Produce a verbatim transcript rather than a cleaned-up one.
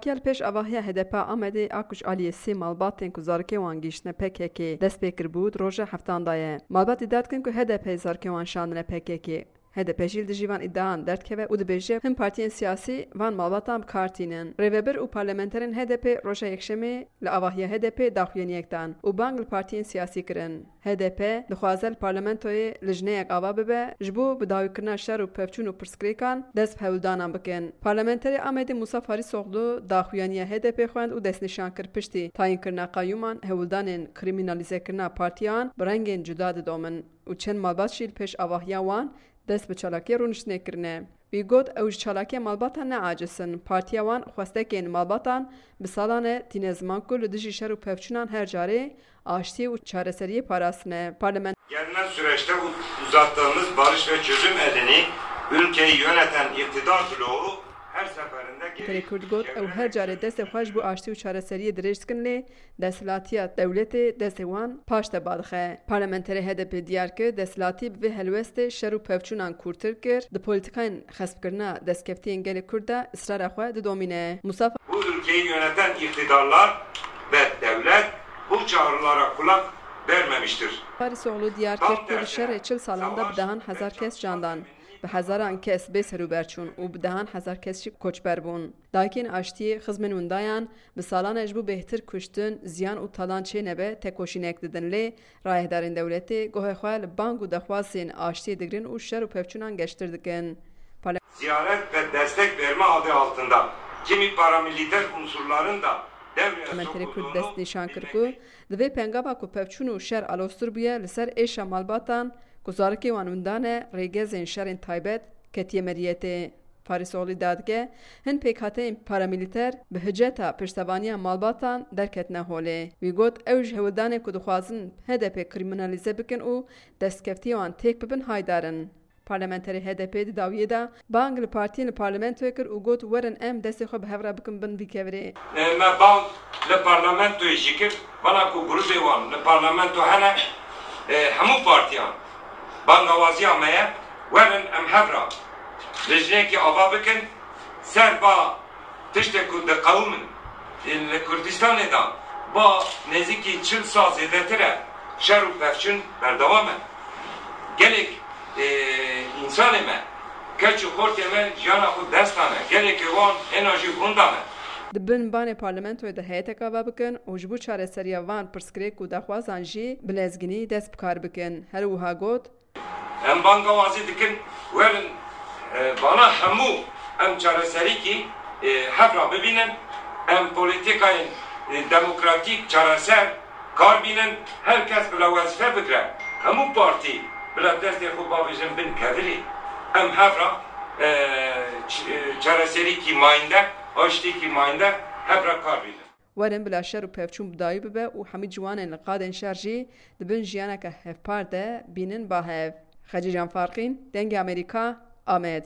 Kel pêş avahiya H D P Amedê a ku ji aliyê sê malbatên ku zarokê wan gihiştine P K K dest pê kiribû, di roja heftan de ye. Malbat îdia dikin ku H D P zarokê wan şandine P K K. H D P jî li dijî van îdiayan derdikeve û dibêje, hin partiyên siyasî van malbatan bi kar tînin. Rêvebir û parlamenterên H D P roja Yekşemê li avahiya H D P daxuyaniyek dan û bang li partiyên siyasî kirin. H D P dixwaze li parlamentoyê lijneyek ava bibe, ji bo bi dawîkirina şer û pevçûn û pirsgirêkan dest bi hewldanan bikin. Parlamenterê Amedê Musa Farîsoglu daxuyaniya H D P xwend û destnîşan kir, piştî tayînkirina qeyûman hewldanên krîmînalîzekirina partiyan bi rengên cuda didomin û çend malbat jî li pêş avahiya wan dest bi çalakiyê rûniştinê kirine. Wî got, ew ji çalakiya malbatan neaciz in. Partiya wan xwestekên malbatan bi salan e tîne ziman ku li dijî şer û pevçûnan her carê aştiyê û çareseriyê parastine. Parlament Gelinen süreçte u- uzattığımız barış ve çözüm elini ülkeyi yöneten iktidar bloğu her seferinde geri Kurd got, ew her carê destê xwe ji bo aştî û çareseriyê dirêj dikin, lê desthilatiya dewletê destê wan paş de badixe. Parlamenterê H D P diyar kir, desthilatî bi vê helwestê şer û pevçûnan kûrtir kir, di polîtikayên xespkirina destkeftiyên gelê Kurd de israra xwe didomîne. Musa Bu ülkeyi yöneten iktidarlar ve devlet bu çağrılara kulak vermemiştir. Farîsoglu diyar kir ku di şerê çil salan de bi dehan hezar kes can dan, bi hezaran kes bê serûber çûn û bi dehan hezar kes jî koçber bûn. Dayikên aştiyê xizmên windayan bi salan e ji bo bêhtir kuştin, ziyan û talan çênebe tekoşînek didin, lê rayedarên dewletê gohê xwe li bang û dexwazên aştiyê digirin û şer û pevçûnan geştir dikin. Ziyaret ve destek verme adı altında kimi paramiliter unsurların da devreye Parlamenterê Kurd sokulduğunu dest nîşan kir ku di vê pengava ku pevçûn û şer aloztir bûye, li ser êşa malbatan ku zarokê wan winda ne, rêgezên şerên taybet ketiye meriyetê. Farîsoglî dadike, hin pêkhateyên paramîlîter bi hiceta piştevaniya malbatan derketine holê. Wî got, ew ji hewldanên ku dixwazin H D P krîmînalîze bikin û destkeftiya wan têk bibin haydar in. Parlamenterê H D P di dawiyê de bang li partiyên li parlamentoyê kir û got, werin em destê xwe bi hev re bikin bin vî kevirê. E, me bang li parlamentoyê jî kir, bana ku grûpê wan li parlamento hene, e, hemû partiyan bangawaziya me ye, werin em hev re lijnekî ava bikin, ser ba tiştê ku diqewimin, e, li Kurdistanê de ba nêzîkî çil sal zêdetir e, şer û pevçûn berdewam e. Gelek, e, însanê me, keç û xortê me jiyana xwe dest dane, gelekê wan hêna jî winda ne. Di bin banê parlamentoyê de heyetek ava bikin û ji bo çareseriya van pirsgirêk û daxwazan jî bi lezginî dest bi kar bikin. Her wiha got, Em bangawazî dikin, werin, e, bana hemû em çareserîkî, e, hev re bibînin, em polîtîkayên, e, demokratîk çareser kar bînin, her kes bila wezîfe bigre, hemû partî bila destê xwe bavêjin bin kevirê. Em hev re, e, ç-, e, çareserîkî mayînde, aştîkî mayînde hev re kar bînin. Werin bila şer û pevçûn bi dawî bibe û hemî ciwanên li qadên şer jî di bin jiyaneke hevpar de bînin ba hev. Xecîcan Farqîn, Dengê Amerîka, Amed.